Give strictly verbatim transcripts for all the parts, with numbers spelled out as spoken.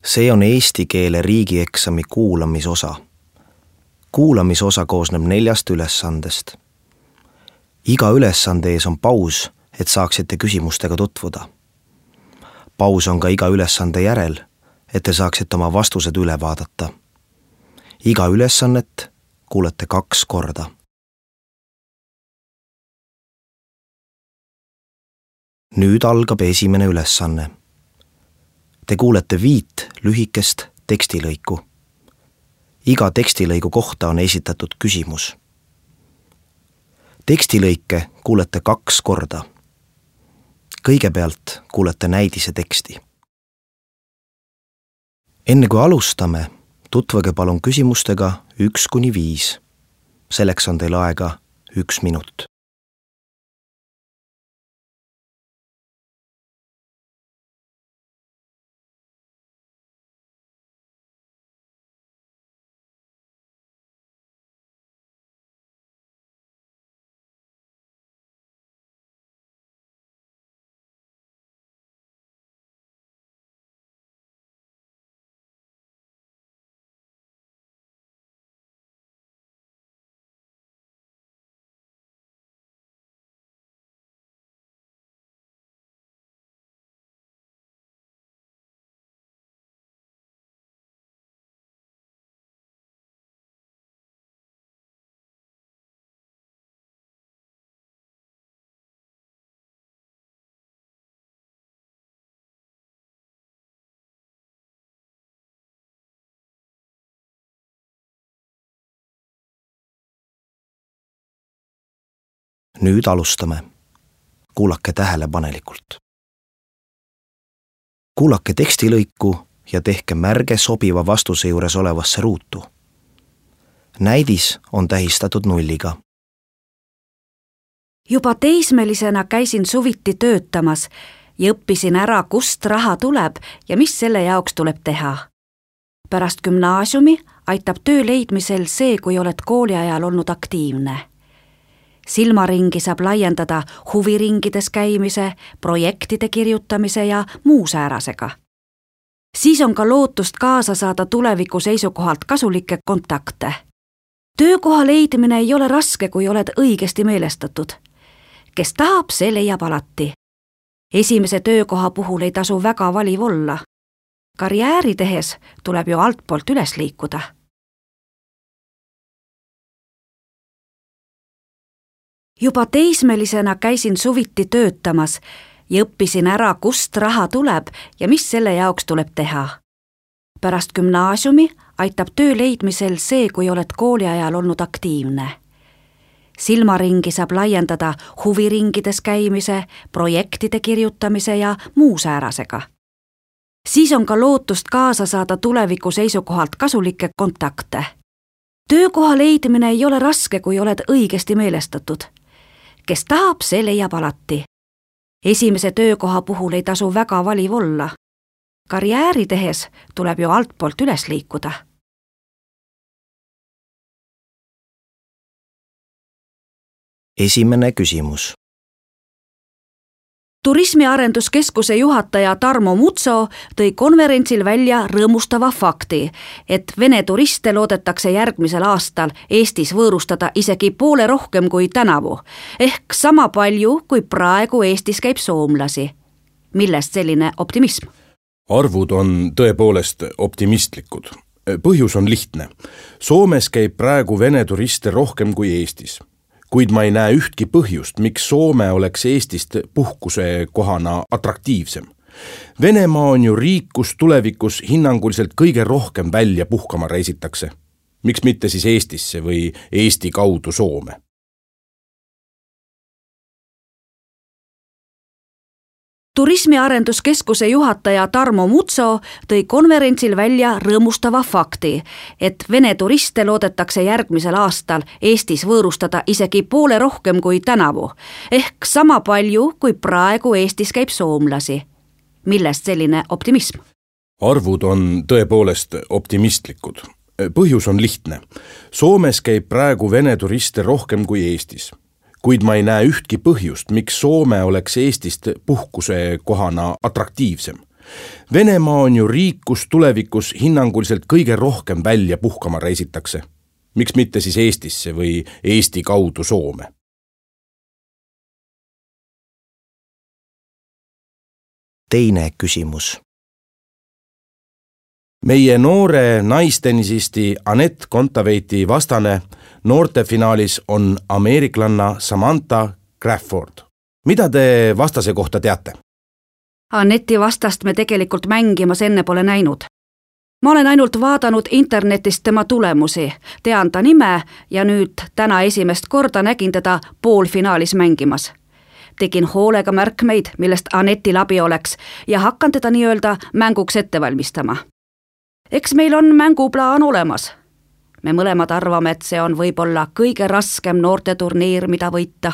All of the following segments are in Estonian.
See on eesti keele riigieksami kuulamisosa. Kuulamisosa koosneb neljast ülesandest. Iga ülesande ees on paus, et saaksite küsimustega tutvuda. Paus on ka iga ülesande järel, et te saaksite oma vastused üle vaadata. Iga ülesannet kuulete kaks korda. Nüüd algab esimene ülesanne. Te kuulete viit lühikest tekstilõiku. Iga tekstilõigu kohta on esitatud küsimus. Tekstilõike kuulete kaks korda. Kõigepealt kuulete näidise teksti. Enne kui alustame, tutvage palun küsimustega üks kuni viis. Selleks on teil aega üks minut. Nüüd alustame. Kuulake tähelepanelikult. Kuulake tekstilõiku ja tehke märge sobiva vastuse juures olevasse ruutu. Näidis on tähistatud nulliga. Juba teismelisena käisin suviti töötamas ja õppisin ära, kust raha tuleb ja mis selle jaoks tuleb teha. Pärast gümnaasiumi aitab töö leidmisel see, kui oled kooliajal olnud aktiivne. Silmaringi saab laiendada huviringides käimise, projektide kirjutamise ja muu säärasega. Siis on ka lootust kaasa saada tuleviku seisukohalt kasulikke kontakte. Töökoha leidmine ei ole raske, kui oled õigesti meelestatud. Kes tahab, see leiab alati. Esimese töökoha puhul ei tasu väga valiv olla. Karjääri tehes tuleb ju altpoolt üles liikuda. Juba teismelisena käisin suviti töötamas ja õppisin ära, kust raha tuleb ja mis selle jaoks tuleb teha. Pärast gümnaasiumi aitab töö leidmisel see, kui oled kooliajal olnud aktiivne. Silmaringi saab laiendada huviringides käimise, projektide kirjutamise ja muu säärasega. Siis on ka lootust kaasa saada tuleviku seisukohalt kasulikke kontakte. Töökoha leidmine ei ole raske, kui oled õigesti meelestatud. Kes tahab, see leiab alati. Esimese töökoha puhul ei tasu väga valiv olla. Karjääri tehes tuleb ju altpoolt üles liikuda. Esimene küsimus. Turismiarenduskeskuse juhataja Tarmo Mutso tõi konverentsil välja rõõmustava fakti, et Vene turiste loodetakse järgmisel aastal Eestis võõrustada isegi poole rohkem kui tänavu, ehk sama palju, kui praegu Eestis käib soomlasi. Millest selline optimism? Arvud on tõepoolest optimistlikud. Põhjus on lihtne. Soomes käib praegu Vene turiste rohkem kui Eestis. Kuid ma ei näe ühtki põhjust, miks Soome oleks Eestist puhkuse kohana atraktiivsem. Venemaa on ju riik, kus tulevikus hinnanguliselt kõige rohkem välja puhkama reisitakse. Miks mitte siis Eestisse või Eesti kaudu Soome? Turismiarenduskeskuse juhataja Tarmo Mutso tõi konverentsil välja rõõmustava fakti, et Vene turiste loodetakse järgmisel aastal Eestis võõrustada isegi poole rohkem kui tänavu, ehk sama palju, kui praegu Eestis käib soomlasi. Millest selline optimism? Arvud on tõepoolest optimistlikud. Põhjus on lihtne. Soomes käib praegu Vene turiste rohkem kui Eestis. Kuid ma ei näe ühtki põhjust, miks Soome oleks Eestist puhkuse kohana atraktiivsem. Venemaa on ju riik, kus tulevikus hinnanguliselt kõige rohkem välja puhkama reisitakse. Miks mitte siis Eestisse või Eesti kaudu Soome? Teine küsimus. Meie noore naistennisisti Anett Kontaveiti vastane noortefinaalis on ameeriklanna Samantha Crawford. Mida te vastase kohta teate? Anetti vastast me tegelikult mängimas enne pole näinud. Ma olen ainult vaadanud internetist tema tulemusi, tean ta nime ja nüüd täna esimest korda nägin teda poolfinaalis mängimas. Tegin hoolega märkmeid, millest Anetil abi oleks ja hakkan teda nii-öelda mänguks ette valmistama. Eks meil on mänguplaan olemas. Me mõlemad arvame, et see on võib-olla kõige raskem noorteturniir, mida võita.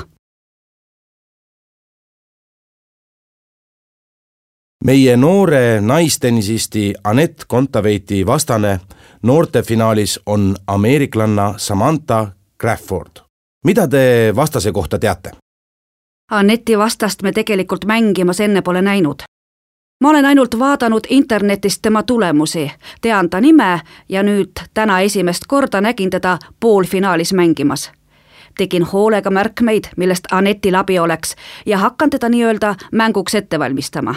Meie noore naistennisisti Anett Kontaveiti vastane noortefinaalis on ameeriklanna Samantha Crawford. Mida te vastase kohta teate? Anetti vastast me tegelikult mängimas enne pole näinud. Ma olen ainult vaadanud internetist tema tulemusi, tean ta nime ja nüüd täna esimest korda nägin teda poolfinaalis mängimas. Tegin hoolega märkmeid, millest Anetil abi oleks ja hakkan teda nii-öelda mänguks ette valmistama.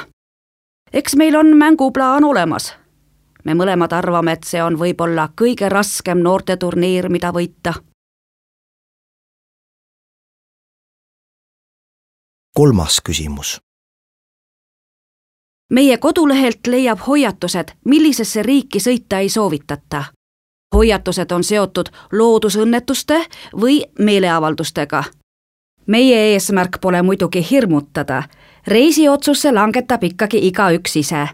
Eks meil on mänguplaan olemas. Me mõlemad arvame, et see on võib-olla kõige raskem noorteturniir, mida võita. Kolmas küsimus. Meie kodulehelt leiab hoiatused, millisesse riiki sõita ei soovitata. Hoiatused on seotud loodusõnnetuste või meeleavaldustega. Meie eesmärk pole muidugi hirmutada. Reisiotsuse langetab ikkagi igaüks ise.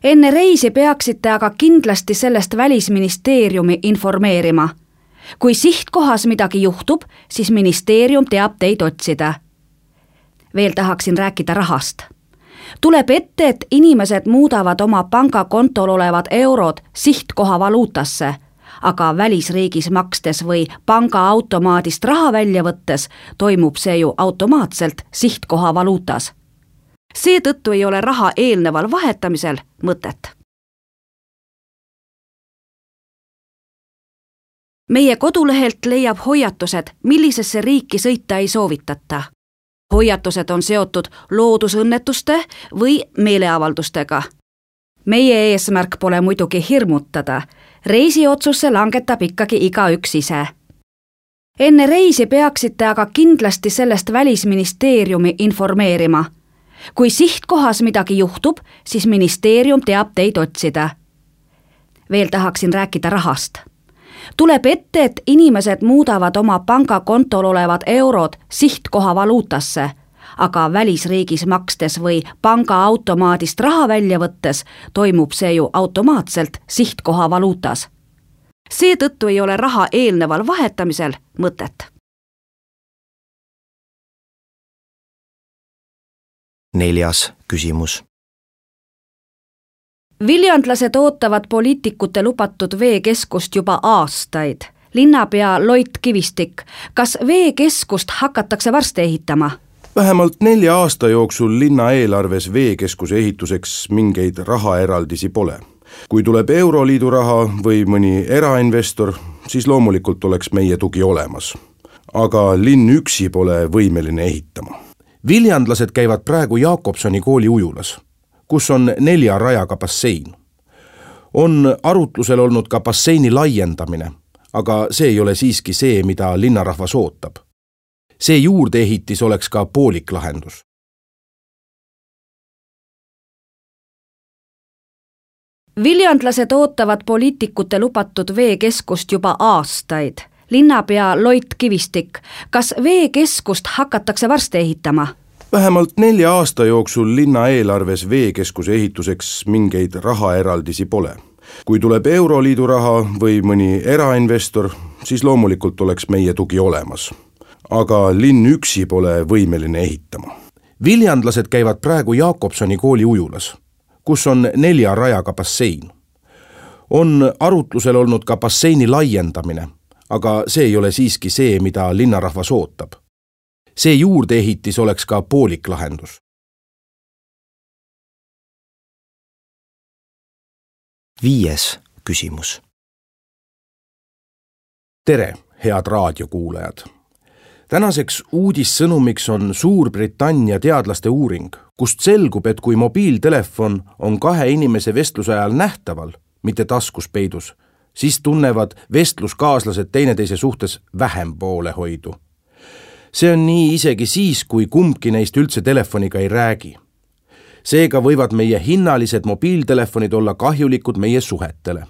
Enne reisi peaksite aga kindlasti sellest Välisministeeriumi informeerima. Kui sihtkohas midagi juhtub, siis ministeerium teab teid otsida. Veel tahaksin rääkida rahast. Tuleb ette, et inimesed muudavad oma pangakontol olevad eurod sihtkoha valuutasse, aga välisriigis makstes või pangaautomaadist raha välja võttes toimub see ju automaatselt sihtkoha valuutas. Seetõttu ei ole raha eelneval vahetamisel mõtet. Meie kodulehelt leiab hoiatused, millisesse riiki sõita ei soovitata. Hoiatused on seotud loodusõnnetuste või meeleavaldustega. Meie eesmärk pole muidugi hirmutada. Reisiotsuse langetab ikkagi igaüks ise. Enne reisi peaksite aga kindlasti sellest Välisministeeriumi informeerima. Kui sihtkohas midagi juhtub, siis ministeerium teab teid otsida. Veel tahaksin rääkida rahast. Tuleb ette, et inimesed muudavad oma pangakontol olevad eurod sihtkoha valuutasse, aga välisriigis makstes või pangaautomaadist raha välja võttes toimub see ju automaatselt sihtkoha valuutas. Seetõttu ei ole raha eelneval vahetamisel mõtet. Neljas küsimus. Viljandlased ootavad poliitikute lubatud veekeskust juba aastaid. Linnapea Loit Kivistik, kas veekeskust hakatakse varsti ehitama? Vähemalt nelja aasta jooksul linna eelarves veekeskuse ehituseks mingeid rahaeraldisi pole. Kui tuleb Euroliidu raha või mõni erainvestor, siis loomulikult oleks meie tugi olemas. Aga linn üksi pole võimeline ehitama. Viljandlased käivad praegu Jakobsoni kooli ujulas, kus on nelja rajaga bassein. On arutlusel olnud ka basseini laiendamine, aga see ei ole siiski see, mida linnarahvas ootab. See juurdeehitis oleks ka poolik lahendus. Viljandlased ootavad poliitikute lubatud veekeskust juba aastaid. Linnapea Loit Kivistik, kas veekeskust hakatakse varsti ehitama? Vähemalt nelja aasta jooksul linna eelarves veekeskuse ehituseks mingeid rahaeraldisi pole. Kui tuleb Euroliidu raha või mõni erainvestor, siis loomulikult oleks meie tugi olemas. Aga linn üksi pole võimeline ehitama. Viljandlased käivad praegu Jakobsoni kooli ujulas, kus on nelja rajaga bassein. On arutlusel olnud ka basseini laiendamine, aga see ei ole siiski see, mida linnarahvas ootab. See juurdeehitis oleks ka poolik lahendus. Viies küsimus. Tere, head raadiokuulajad! Tänaseks uudissõnumiks on Suurbritannia teadlaste uuring, kust selgub, et kui mobiiltelefon on kahe inimese vestluse ajal nähtaval, mitte taskus peidus, siis tunnevad vestluskaaslased teineteise suhtes vähem poolehoidu. See on nii isegi siis, kui kumbki neist üldse telefoniga ei räägi. Seega võivad meie hinnalised mobiiltelefonid olla kahjulikud meie suhetele.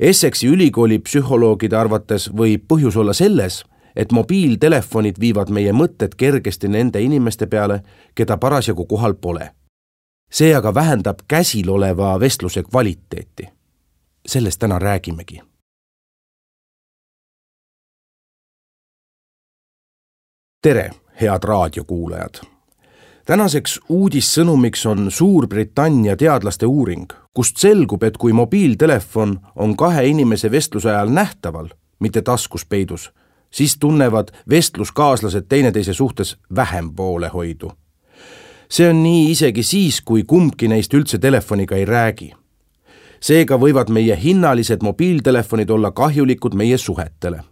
Essexi ülikooli psühholoogide arvates võib põhjus olla selles, et mobiiltelefonid viivad meie mõtted kergesti nende inimeste peale, keda parasjagu kohal pole. See aga vähendab käsil oleva vestluse kvaliteeti. Sellest täna räägimegi. Tere, head raadiokuulajad! Tänaseks uudissõnumiks on Suurbritannia teadlaste uuring, kust selgub, et kui mobiiltelefon on kahe inimese vestluse ajal nähtaval, mitte taskus peidus, siis tunnevad vestluskaaslased teineteise suhtes vähem poolehoidu. See on nii isegi siis, kui kumbki neist üldse telefoniga ei räägi. Seega võivad meie hinnalised mobiiltelefonid olla kahjulikud meie suhetele.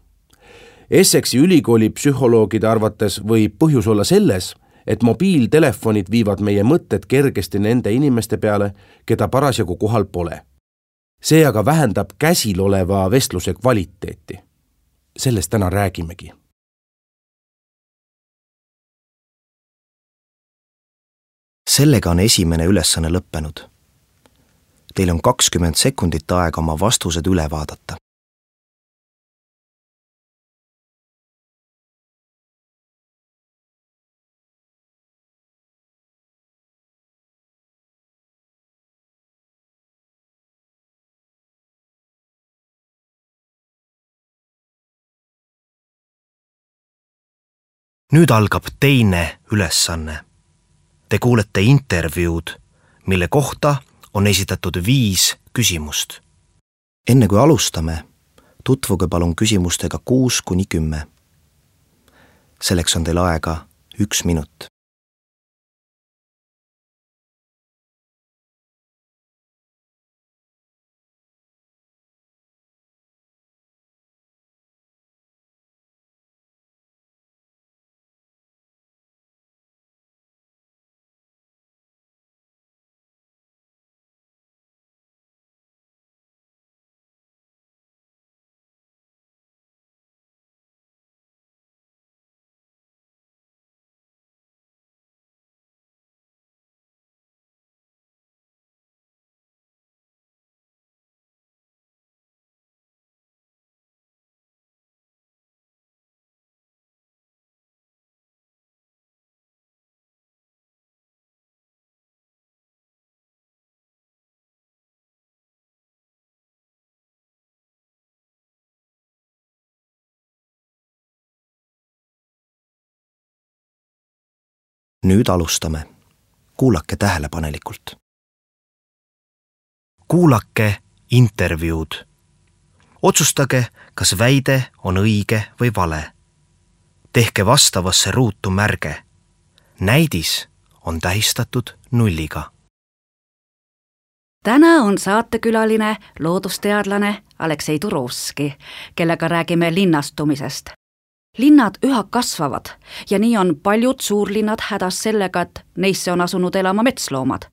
Essexi ülikooli psühholoogide arvates võib põhjus olla selles, et mobiiltelefonid viivad meie mõtted kergesti nende inimeste peale, keda parasjagu kohal pole. See aga vähendab käsil oleva vestluse kvaliteeti. Sellest täna räägimegi. Sellega on esimene ülesanne lõppenud. Teil on kakskümmend sekundit aega oma vastused üle vaadata. Nüüd algab teine ülesanne. Te kuulete intervjuud, mille kohta on esitatud viis küsimust. Enne kui alustame, tutvuge palun küsimustega kuus kuni kümme. Selleks on teil aega üks minut. Nüüd alustame. Kuulake tähelepanelikult. Kuulake intervjuud. Otsustage, kas väide on õige või vale. Tehke vastavasse ruutu märge. Näidis on tähistatud nulliga. Täna on saatekülaline loodusteadlane Aleksei Turovski, kellega räägime linnastumisest. Linnad üha kasvavad ja nii on paljud suurlinnad hädas sellega, et neisse on asunud elama metsloomad.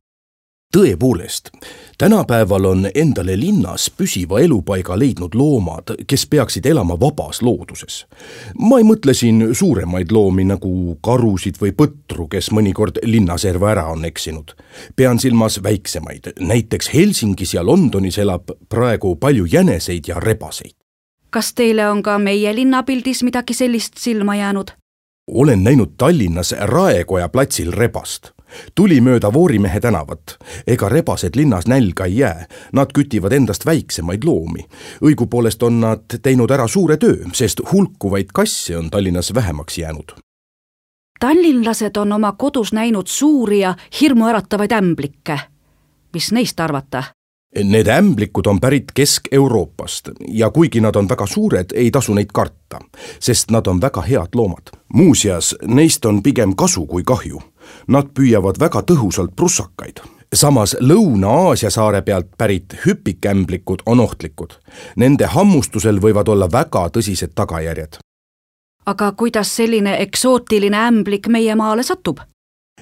Tõepoolest, tänapäeval on endale linnas püsiva elupaiga leidnud loomad, kes peaksid elama vabas looduses. Ma ei mõtle siin suuremaid loomi nagu karusid või põtru, kes mõnikord linnaserva ära on eksinud. Pean silmas väiksemaid. Näiteks Helsingis ja Londonis elab praegu palju jäneseid ja rebaseid. Kas teile on ka meie linnapildis midagi sellist silma jäänud? Olen näinud Tallinnas Raekoja platsil rebast. Tuli mööda Voorimehe tänavat. Ega rebased linnas nälga ei jää. Nad kütivad endast väiksemaid loomi. Õigupoolest on nad teinud ära suure töö, sest hulkuvaid kasse on Tallinnas vähemaks jäänud. Tallinlased on oma kodus näinud suuri ja hirmuäratavaid ämblikke. Mis neist arvata? Need ämblikud on pärit Kesk-Euroopast ja kuigi nad on väga suured, ei tasu neid karta, sest nad on väga head loomad. Muuseas, neist on pigem kasu kui kahju. Nad püüavad väga tõhusalt prussakaid. samas Lõuna-Aasia saare pealt pärit hüpikämblikud on ohtlikud. Nende hammustusel võivad olla väga tõsised tagajärjed. aga kuidas selline eksootiline ämblik meie maale satub?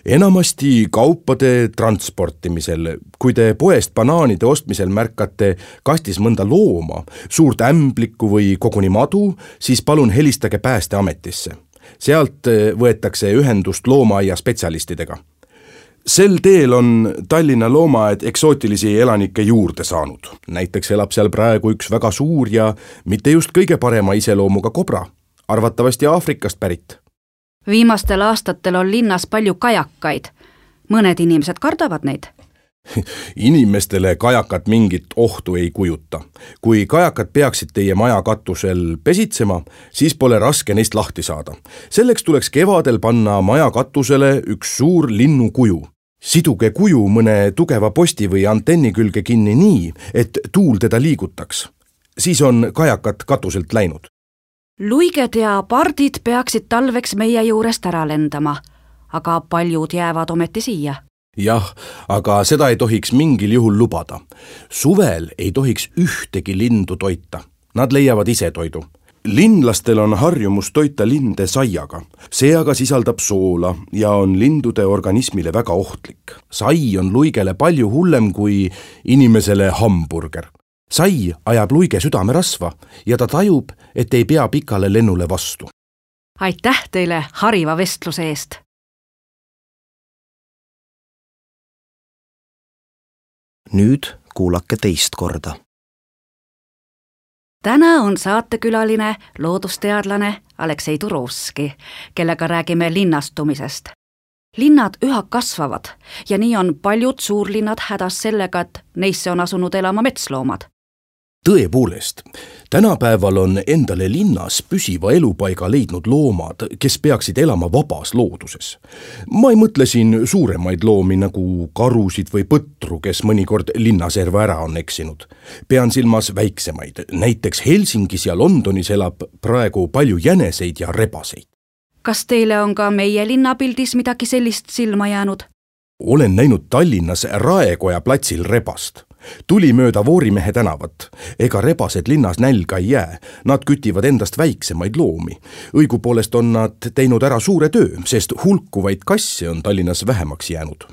Enamasti kaupade transportimisel. Kui te poest banaanide ostmisel märkate kastis mõnda looma, suurt ämblikku või koguni madu, siis palun helistage Päästeametisse. Sealt võetakse ühendust loomaaia spetsialistidega. Sel teel on Tallinna loomaaed eksootilisi elanikke juurde saanud. Näiteks elab seal praegu üks väga suur ja mitte just kõige parema iseloomuga kobra, arvatavasti Aafrikast pärit. Viimastel aastatel on linnas palju kajakaid. Mõned inimesed kardavad neid. Inimestele kajakad mingit ohtu ei kujuta. Kui kajakad peaksid teie maja katusel pesitsema, siis pole raske neist lahti saada. Selleks tuleks kevadel panna maja katusele üks suur linnu kuju. Siduge kuju mõne tugeva posti või antenni külge kinni nii, et tuul teda liigutaks. Siis on kajakad katuselt läinud. Luiged ja pardid peaksid talveks meie juurest ära lendama, aga paljud jäävad ometi siia. Jah, aga seda ei tohiks mingil juhul lubada. Suvel ei tohiks ühtegi lindu toita. Nad leiavad ise toidu. Linlastel on harjumus toita linde saiaga. See aga sisaldab soola ja on lindude organismile väga ohtlik. Sai on luigele palju hullem kui inimesele hamburger. Sai ajab luige südamerasva ja ta tajub, et ei pea pikale lennule vastu. Aitäh teile hariva vestluse eest! Nüüd kuulake teist korda. Täna on saatekülaline loodusteadlane Aleksei Turovski, kellega räägime linnastumisest. Linnad üha kasvavad ja nii on paljud suurlinnad hädas sellega, et neisse on asunud elama metsloomad. Tõepoolest, tänapäeval on endale linnas püsiva elupaiga leidnud loomad, kes peaksid elama vabas looduses. Ma ei mõtle siin suuremaid loomi nagu karusid või põtru, kes mõnikord linnaserva ära on eksinud. Pean silmas väiksemaid. Näiteks Helsingis ja Londonis elab praegu palju jäneseid ja rebaseid. Kas teile on ka meie linnapildis midagi sellist silma jäänud? Olen näinud Tallinnas Raekoja platsil rebast. Tuli mööda Voorimehe tänavat. Ega rebased linnas nälga ei jää. Nad kütivad endast väiksemaid loomi. Õigupoolest on nad teinud ära suure töö, sest hulkuvaid kasse on Tallinnas vähemaks jäänud.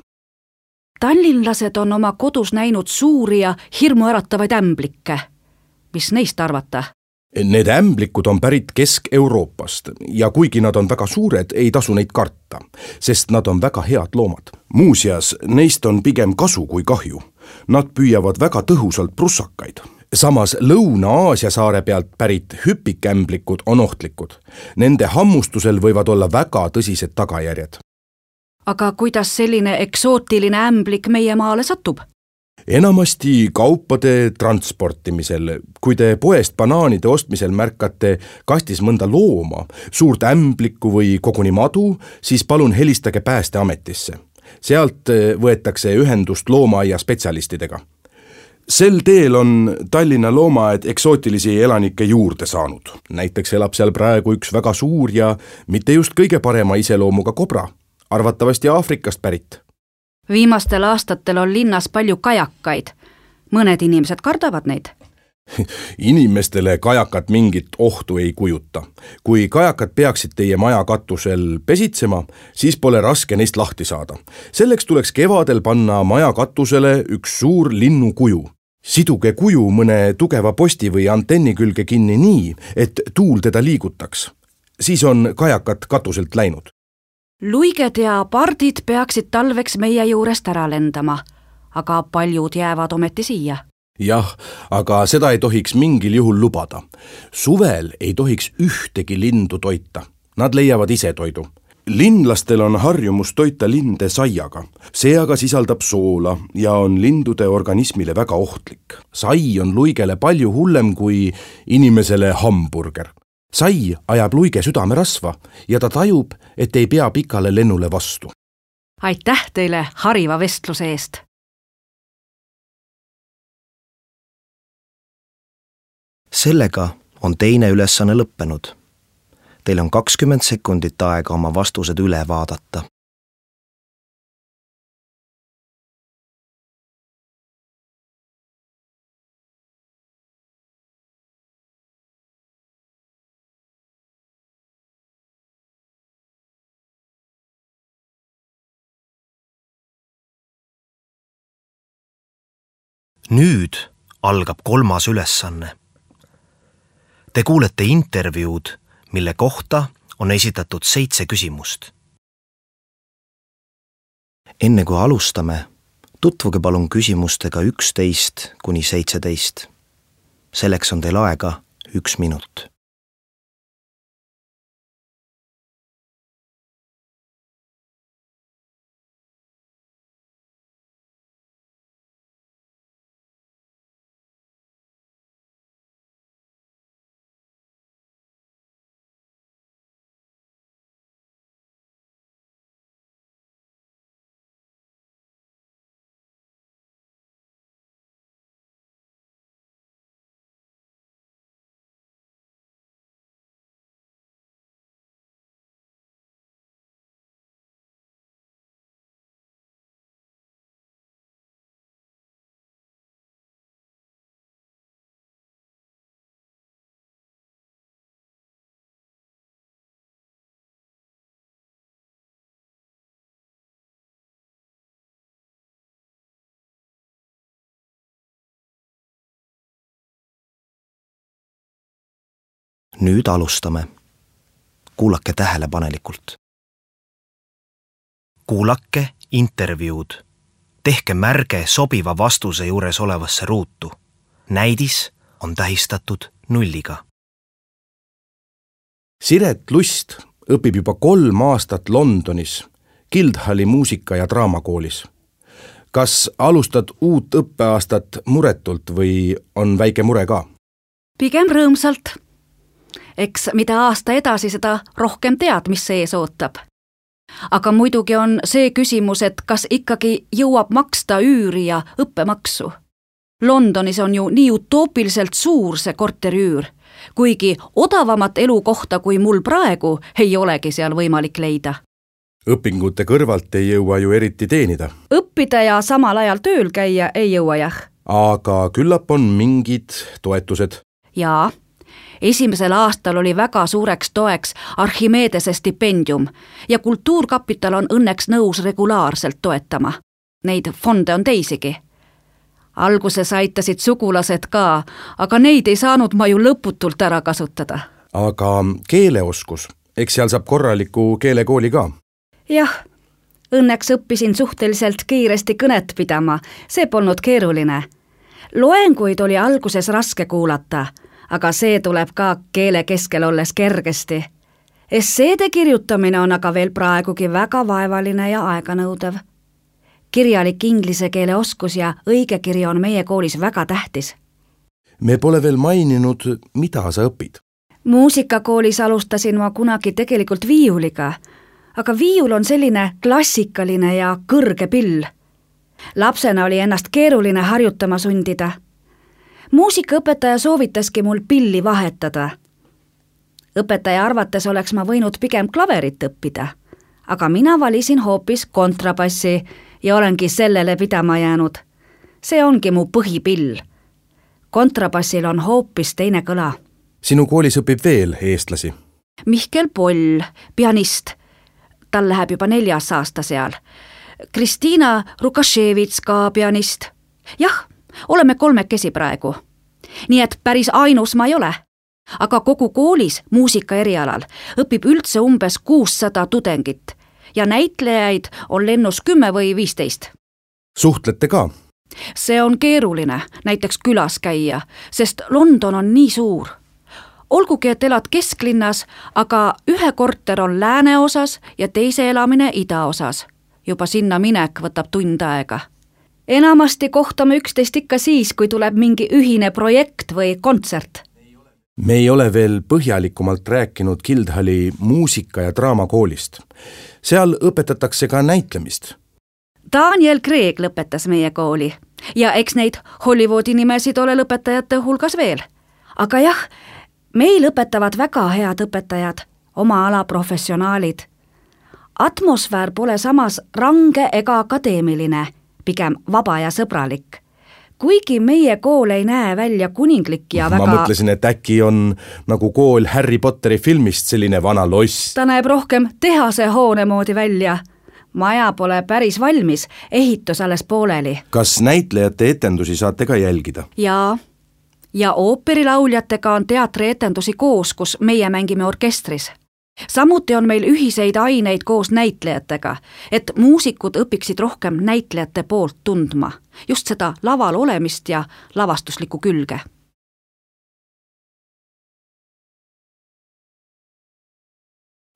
Tallinlased on oma kodus näinud suuri ja hirmuäratavaid ämblikke. Mis neist arvata? Need ämblikud on pärit Kesk-Euroopast ja kuigi nad on väga suured, ei tasu neid karta, sest nad on väga head loomad. Muuseas, neist on pigem kasu kui kahju. Nad püüavad väga tõhusalt prussakaid. Samas Lõuna-Aasia saare pealt pärit hüpikämblikud on ohtlikud. Nende hammustusel võivad olla väga tõsised tagajärjed. Aga kuidas selline eksootiline ämblik meie maale satub? Enamasti kaupade transportimisel. Kui te poest banaanide ostmisel märkate kastis mõnda looma, suurt ämblikku või koguni madu, siis palun helistage Päästeametisse. Sealt võetakse ühendust loomaaia spetsialistidega. Sel teel on Tallinna loomaaed eksootilisi elanikke juurde saanud. Näiteks elab seal praegu üks väga suur ja mitte just kõige parema iseloomuga kobra, arvatavasti Aafrikast pärit. Viimastel aastatel on linnas palju kajakaid. Mõned inimesed kardavad neid. Inimestele kajakad mingit ohtu ei kujuta. Kui kajakad peaksid teie maja katusel pesitsema, siis pole raske neist lahti saada. Selleks tuleks kevadel panna maja katusele üks suur linnu kuju. Siduge kuju mõne tugeva posti või antenni külge kinni nii, et tuul teda liigutaks. Siis on kajakad katuselt läinud. Luiged ja pardid peaksid talveks meie juurest ära lendama, aga paljud jäävad ometi siia. Jah, aga seda ei tohiks mingil juhul lubada. Suvel ei tohiks ühtegi lindu toita. Nad leiavad ise toidu. Linlastel on harjumus toita linde saiaga. See aga sisaldab soola ja on lindude organismile väga ohtlik. Sai on luigele palju hullem kui inimesele hamburger. Sai ajab luige südamerasva ja ta tajub, et ei pea pikale lennule vastu. Aitäh teile hariva vestluse eest! Sellega on teine ülesanne lõppenud. Teil on kakskümmend sekundit aega oma vastused üle vaadata. Nüüd algab kolmas ülesanne. Te kuulete intervjuud, mille kohta on esitatud seitse küsimust. Enne kui alustame, tutvuge palun küsimustega üksteist kuni seitseteist. Selleks on teil aega üks minut. Nüüd alustame. Kuulake tähelepanelikult. Kuulake intervjuud. Tehke märge sobiva vastuse juures olevasse ruutu. Näidis on tähistatud nulliga. Siret Lust õpib juba kolm aastat Londonis Guildhalli muusika- ja draamakoolis. Kas alustad uut õppeaastat muretult või on väike mure ka? Pigem rõõmsalt. Eks mida aasta edasi, seda rohkem tead, mis sees ootab. Aga muidugi on see küsimus, et kas ikkagi jõuab maksta üüri ja õppemaksu. Londonis on ju nii utoopiliselt suur see korteriüür, kuigi odavamat elukohta kui mul praegu ei olegi seal võimalik leida. Õpingute kõrvalt ei jõua ju eriti teenida. Õppida ja samal ajal tööl käia ei jõua jah. Aga küllap on mingid toetused. Jaa. Esimesel aastal oli väga suureks toeks Archimedese stipendium ja Kultuurkapital on õnneks nõus regulaarselt toetama. Neid fonde on teisigi. Alguses aitasid sugulased ka, aga neid ei saanud ma ju lõputult ära kasutada. Aga keeleoskus, eks seal saab korraliku keelekooli ka? Jah, õnneks õppisin suhteliselt kiiresti kõnet pidama, see polnud keeruline. Loenguid oli alguses raske kuulata, aga see tuleb ka keele keskel olles kergesti. Esseede kirjutamine on aga veel praegugi väga vaevaline ja aeganõudev. Kirjalik inglise keele oskus ja õigekiri on meie koolis väga tähtis. Me pole veel maininud, mida sa õpid. Muusikakoolis alustasin ma kunagi tegelikult viiuliga, aga viiul on selline klassikaline ja kõrge pill. Lapsena oli ennast keeruline harjutama sundida. Muusikaõpetaja soovitaski mul pilli vahetada. Õpetaja arvates oleks ma võinud pigem klaverit õppida, aga mina valisin hoopis kontrabassi ja olengi sellele pidama jäänud. See ongi mu põhipill. Kontrabassil on hoopis teine kõla. Sinu koolis õpib veel eestlasi? Mihkel Poll, pianist. Tal läheb juba neljas aasta seal. Kristiina Rukaševits ka pianist. Jah, oleme kolmekesi praegu. Nii et päris ainus ma ei ole. Aga kogu koolis muusika erialal õpib üldse umbes kuussada tudengit ja näitlejaid on lennus kümme või viisteist. Suhtlete ka? See on keeruline näiteks külas käia, sest London on nii suur. Olgugi, et elad kesklinnas, aga ühe korter on lääneosas ja teise elamine idaosas. Juba sinna minek võtab tund aega. Enamasti kohtame üksteist ikka siis, kui tuleb mingi ühine projekt või kontsert. Me ei ole veel põhjalikumalt rääkinud Guildhalli muusika- ja draamakoolist. Seal õpetatakse ka näitlemist. Daniel Craig lõpetas meie kooli ja eks neid Hollywoodi nimesid ole lõpetajate hulgas veel. Aga jah, meil õpetavad väga head õpetajad, oma ala professionaalid. Atmosfäär pole samas range ega akadeemiline, pigem vaba ja sõbralik. Kuigi meie kool ei näe välja kuninglik ja väga... Ma mõtlesin, et äkki on nagu kool Harry Potteri filmist selline vana loss. Ta näeb rohkem tehase hoone moodi välja. Maja pole päris valmis, ehitus alles pooleli. Kas näitlejate etendusi saate ka jälgida? Jaa. Ja ooperilauljatega on teatrietendusi koos, kus meie mängime orkestris. Samuti on meil ühiseid aineid koos näitlejatega, et muusikud õpiksid rohkem näitlejate poolt tundma, just seda laval olemist ja lavastuslikku külge.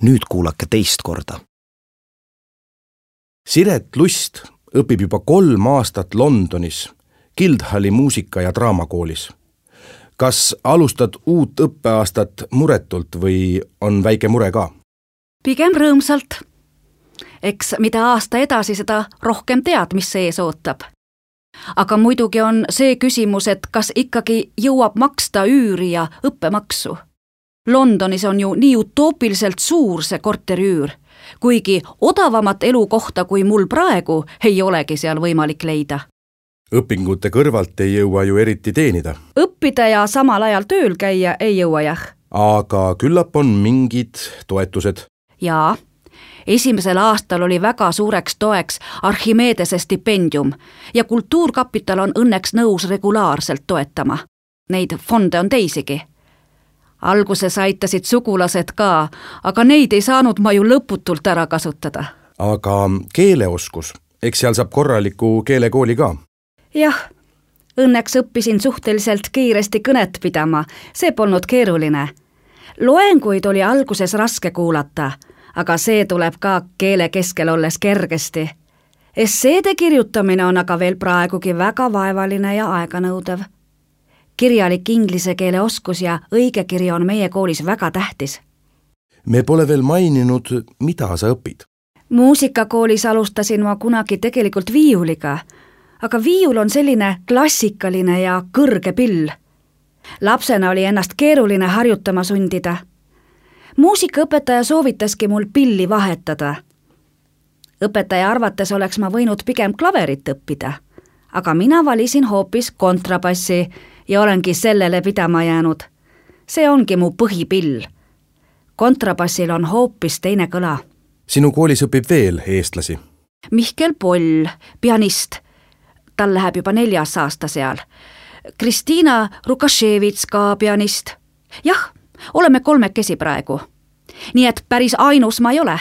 Nüüd kuulake teist korda. Siret Lust õpib juba kolm aastat Londonis Guildhalli muusika- ja draamakoolis. Kas alustad uut õppeaastat muretult või on väike mure ka? Pigem rõõmsalt. Eks mida aasta edasi, seda rohkem tead, mis see ees ootab. Aga muidugi on see küsimus, et kas ikkagi jõuab maksta üüri ja õppemaksu. Londonis on ju nii utoopiliselt suur see korteriüür, kuigi odavamat elukohta kui mul praegu ei olegi seal võimalik leida. Õpingute kõrvalt ei jõua ju eriti teenida. Õppida ja samal ajal tööl käia ei jõua jah. Aga küllap on mingid toetused. Jaa, esimesel aastal oli väga suureks toeks Archimedese stipendium ja Kultuurkapital on õnneks nõus regulaarselt toetama. Neid fonde on teisigi. Alguses aitasid sugulased ka, aga neid ei saanud ma ju lõputult ära kasutada. Aga keeleoskus, eks seal saab korraliku keelekooli ka? Jah, õnneks õppisin suhteliselt kiiresti kõnet pidama, see polnud keeruline. Loenguid oli alguses raske kuulata, aga see tuleb ka keele keskel olles kergesti. Esseede kirjutamine on aga veel praegugi väga vaevaline ja aeganõudev. Kirjalik inglise keele oskus ja õige kiri on meie koolis väga tähtis. Me pole veel maininud, mida sa õpid. Muusikakoolis alustasin ma kunagi tegelikult viiuliga, aga viiul on selline klassikaline ja kõrge pill. Lapsena oli ennast keeruline harjutama sundida. Muusikaõpetaja soovitaski mul pilli vahetada. Õpetaja arvates oleks ma võinud pigem klaverit õppida, aga mina valisin hoopis kontrabassi ja olengi sellele pidama jäänud. See ongi mu põhipill. Kontrabassil on hoopis teine kõla. Sinu koolis õpib veel eestlasi? Mihkel Poll, pianist. Tal läheb juba neljas aasta seal. Kristiina Rukaševits ka pianist. Jah, oleme kolmekesi praegu. Nii et päris ainus ma ei ole.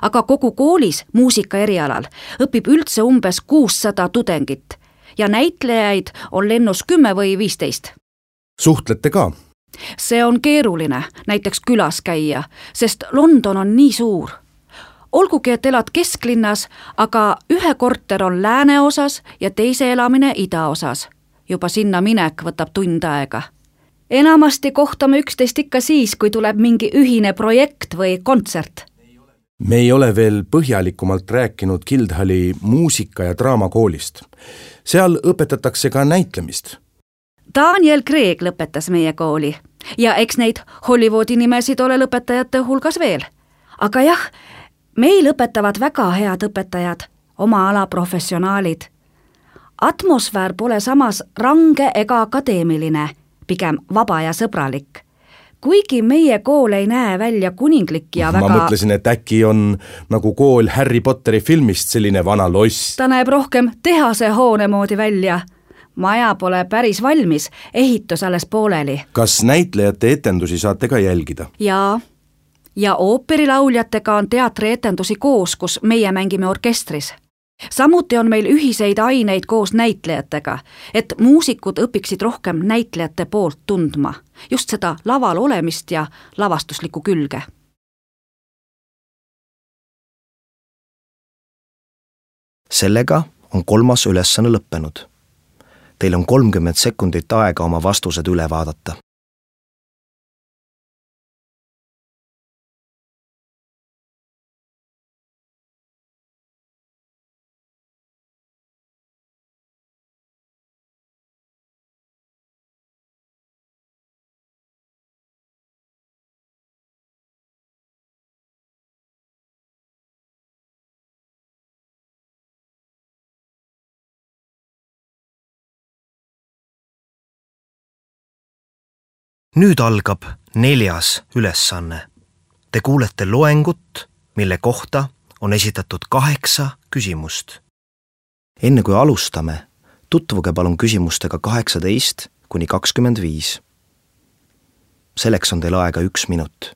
Aga kogu koolis muusika erialal õpib üldse umbes kuussada tudengit ja näitlejaid on lennus kümme või viisteist. Suhtlete ka? See on keeruline näiteks külas käia, sest London on nii suur. Olgugi, et elad kesklinnas, aga ühe korter on lääneosas ja teise elamine idaosas. Juba sinna minek võtab tund aega. Enamasti kohtame üksteist ikka siis, kui tuleb mingi ühine projekt või kontsert. Me ei ole veel põhjalikumalt rääkinud Guildhalli muusika- ja draamakoolist. Seal õpetatakse ka näitlemist. Daniel Craig lõpetas meie kooli ja eks neid Hollywoodi nimesid ole lõpetajate hulgas veel. Aga jah, meil õpetavad väga head õpetajad, oma ala professionaalid. Atmosfäär pole samas range ega akadeemiline, pigem vaba ja sõbralik. Kuigi meie kool ei näe välja kuninglik ja väga... Ma mõtlesin, et äkki on nagu kool Harry Potteri filmist selline vana loss. Ta näeb rohkem tehase hoone moodi välja. Maja pole päris valmis, ehitus alles pooleli. Kas näitlejate etendusi saate ka jälgida? Jaa. Ja ooperilauljatega on teatrietendusi koos, kus meie mängime orkestris. Samuti on meil ühiseid aineid koos näitlejatega, et muusikud õpiksid rohkem näitlejate poolt tundma, just seda laval olemist ja lavastuslikku külge. Sellega on kolmas ülesanne lõppenud. Teil on kolmkümmend sekundit aega oma vastused üle vaadata. Nüüd algab neljas ülesanne. Te kuulete loengut, mille kohta on esitatud kaheksa küsimust. Enne kui alustame, tutvuge palun küsimustega kaheksateist kuni kakskümmend viis. Selleks on teil aega üks minut.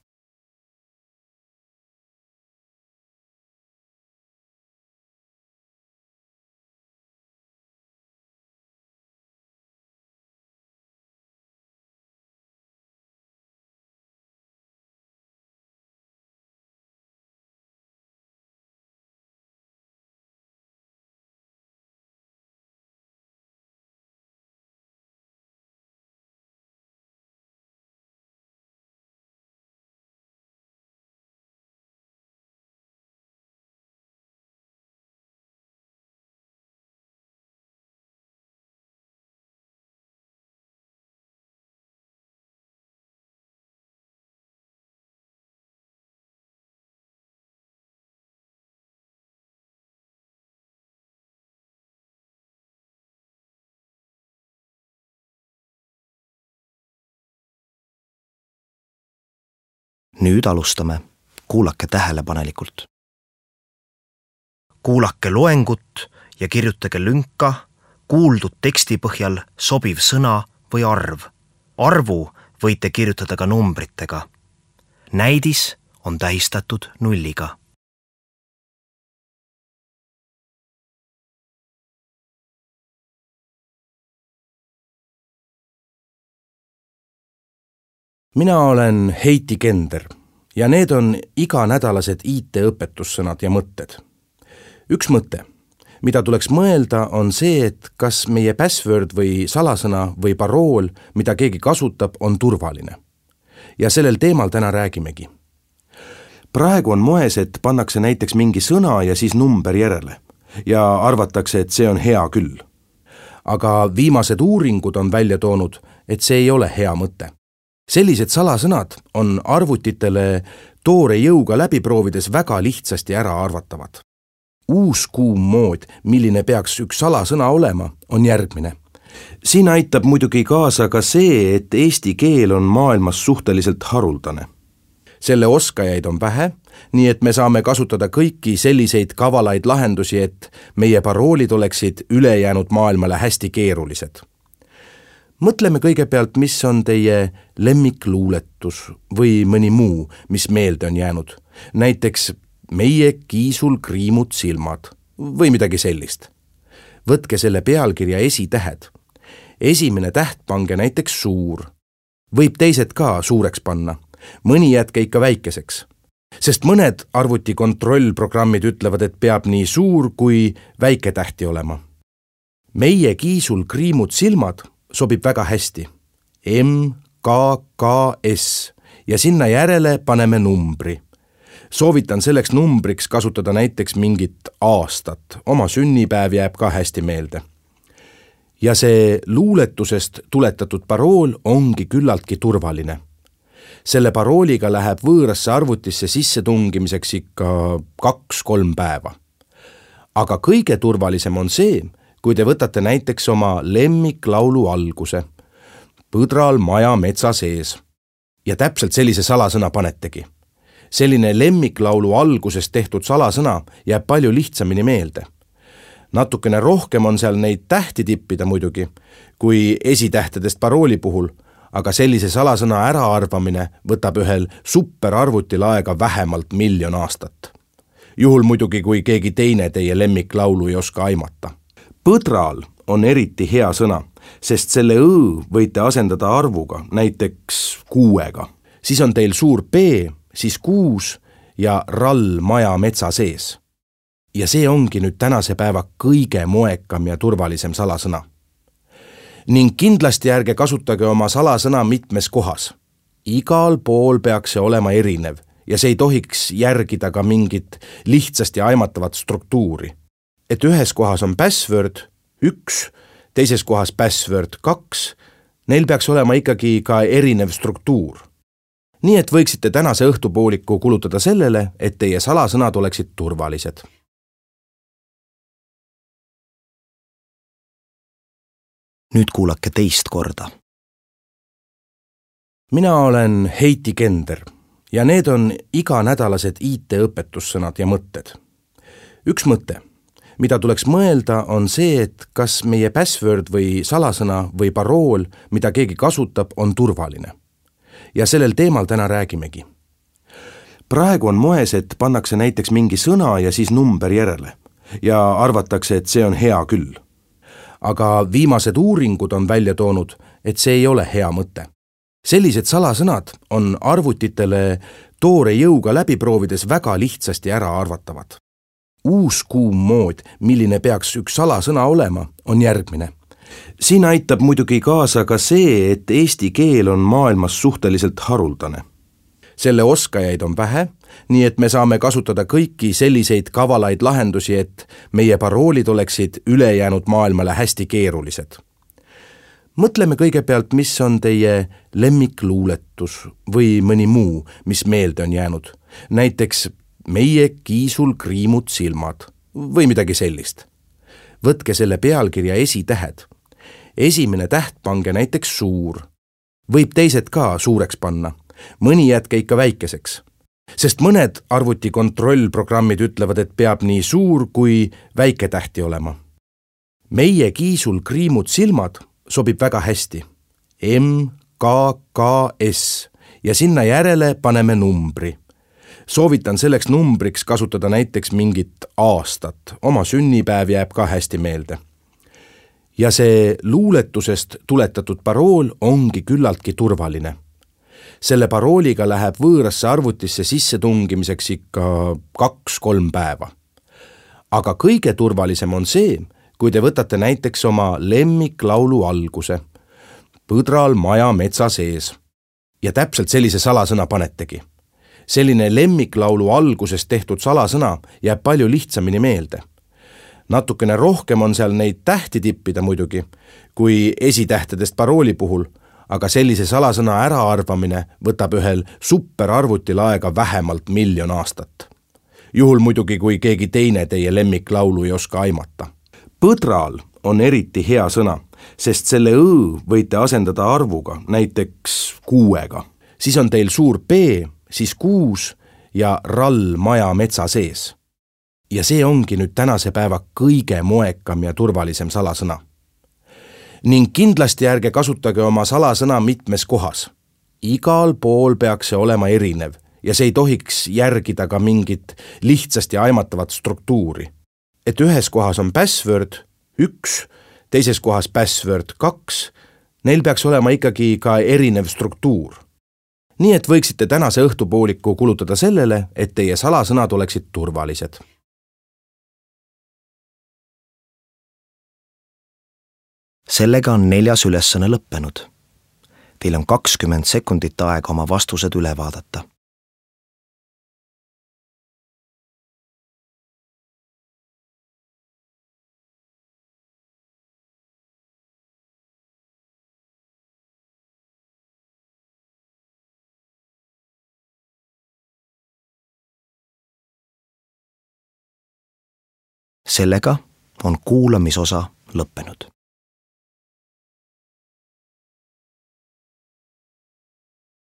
Nüüd alustame. Kuulake tähelepanelikult. Kuulake loengut ja kirjutage lünka kuuldud teksti põhjal sobiv sõna või arv. Arvu võite kirjutada ka numbritega. Näidis on tähistatud nulliga. Mina olen Heiti Kender ja need on iganädalased I T-õpetussõnad ja mõtted. Üks mõte, mida tuleks mõelda, on see, et kas meie password või salasõna või parool, mida keegi kasutab, on turvaline. Ja sellel teemal täna räägimegi. Praegu on moes, et pannakse näiteks mingi sõna ja siis number järele ja arvatakse, et see on hea küll. Aga viimased uuringud on välja toonud, et see ei ole hea mõte. Sellised salasõnad on arvutitele toore jõuga läbiproovides väga lihtsasti ära arvatavad. Uus kuum mood, milline peaks üks salasõna olema, on järgmine. Siin aitab muidugi kaasa ka see, et eesti keel on maailmas suhteliselt haruldane. Selle oskajaid on vähe, nii et me saame kasutada kõiki selliseid kavalaid lahendusi, et meie paroolid oleksid ülejäänud maailmale hästi keerulised. Mõtleme kõigepealt, mis on teie lemmikluuletus või mõni muu, mis meelde on jäänud. Näiteks meie kiisul kriimud silmad või midagi sellist. Võtke selle pealkirja esitähed. Esimene täht pange näiteks suur. Võib teised ka suureks panna. Mõni jätke ikka väikeseks. Sest mõned arvutikontrollprogrammid ütlevad, et peab nii suur kui väike tähti olema. Meie kiisul kriimud silmad sobib väga hästi. M K K S ja sinna järele paneme numbri. Soovitan selleks numbriks kasutada näiteks mingit aastat. Oma sünnipäev jääb ka hästi meelde. Ja see luuletusest tuletatud parool ongi küllaltki turvaline. Selle parooliga läheb võõrasse arvutisse sisse tungimiseks ikka kaks-kolm päeva. Aga kõige turvalisem on see, kui te võtate näiteks oma lemmiklaulu alguse, Põdral maja metsa sees, ja täpselt sellise salasõna panetegi. Selline lemmiklaulu algusest tehtud salasõna jääb palju lihtsamini meelde. Natukene rohkem on seal neid tähti tippida muidugi, kui esitähtedest parooli puhul, aga sellise salasõna äraarvamine võtab ühel superarvutil aega vähemalt miljon aastat. Juhul muidugi, kui keegi teine teie lemmiklaulu ei oska aimata. Põdral on eriti hea sõna, sest selle õ võite asendada arvuga, näiteks kuuega. Siis on teil suur P, siis kuus ja rall maja metsa sees. Ja see ongi nüüd tänase päeva kõige moekam ja turvalisem salasõna. Ning kindlasti ärge kasutage oma salasõna mitmes kohas. Igal pool peaks see olema erinev ja see ei tohiks järgida ka mingit lihtsasti aimatavat struktuuri. Et ühes kohas on password üks, teises kohas password kaks, neil peaks olema ikkagi ka erinev struktuur. Nii et võiksite tänase õhtupooliku kulutada sellele, et teie salasõnad oleksid turvalised. Nüüd kuulake teist korda. Mina olen Heiti Kender ja need on iganädalased I T-õpetussõnad ja mõtted. üks mõte, mida tuleks mõelda, on see, et kas meie password või salasõna või parool, mida keegi kasutab, on turvaline. Ja sellel teemal täna räägimegi. Praegu on moes, et pannakse näiteks mingi sõna ja siis number järele ja arvatakse, et see on hea küll. Aga viimased uuringud on välja toonud, et see ei ole hea mõte. Sellised salasõnad on arvutitele toore jõuga läbi proovides väga lihtsasti ära arvatavad. Uus kuum mood, milline peaks üks salasõna olema, on järgmine. Siin aitab muidugi kaasa ka see, et eesti keel on maailmas suhteliselt haruldane. Selle oskajaid on vähe, nii et me saame kasutada kõiki selliseid kavalaid lahendusi, et meie paroolid oleksid ülejäänud maailmale hästi keerulised. Mõtleme kõigepealt, mis on teie lemmikluuletus või mõni muu, mis meelde on jäänud. Näiteks meie kiisul kriimud silmad või midagi sellist. Võtke selle pealkirja esitähed. Esimene täht pange näiteks suur. Võib teised ka suureks panna. Mõni jätke ikka väikeseks. Sest mõned arvuti kontrollprogrammid ütlevad, et peab nii suur kui väike tähti olema. Meie kiisul kriimud silmad sobib väga hästi. M K K S ja sinna järele paneme numbri. Soovitan selleks numbriks kasutada näiteks mingit aastat. Oma sünnipäev jääb ka hästi meelde. Ja see luuletusest tuletatud parool ongi küllaltki turvaline. Selle parooliga läheb võõrasse arvutisse sisse tungimiseks ikka kaks-kolm päeva. Aga kõige turvalisem on see, kui te võtate näiteks oma lemmiklaulu alguse, põdral maja metsa sees, ja täpselt sellise salasõna panetegi. Selline lemmiklaulu alguses tehtud salasõna jääb palju lihtsamini meelde. Natukene rohkem on seal neid tähti tippida muidugi, kui esitähtedest parooli puhul, aga sellise salasõna äraarvamine võtab ühel superarvutil aega vähemalt miljon aastat. Juhul muidugi, kui keegi teine teie lemmiklaulu ei oska aimata. Põdral on eriti hea sõna, sest selle õ võite asendada arvuga, näiteks kuuega. Siis on teil suur P, siis kuus ja rall maja metsa sees. Ja see ongi nüüd tänase päeva kõige moekam ja turvalisem salasõna. Ning kindlasti ärge kasutage oma salasõna mitmes kohas. Igal pool peaks see olema erinev ja see ei tohiks järgida ka mingit lihtsasti aimatavat struktuuri. Et ühes kohas on password üks, teises kohas password kaks, neil peaks olema ikkagi ka erinev struktuur. Nii et võiksite tänase õhtupooliku kulutada sellele, et teie salasõnad oleksid turvalised. Sellega on neljas ülesanne lõppenud. Teil on kakskümmend sekundit aega oma vastused üle vaadata. Sellega on kuulamisosa lõppenud.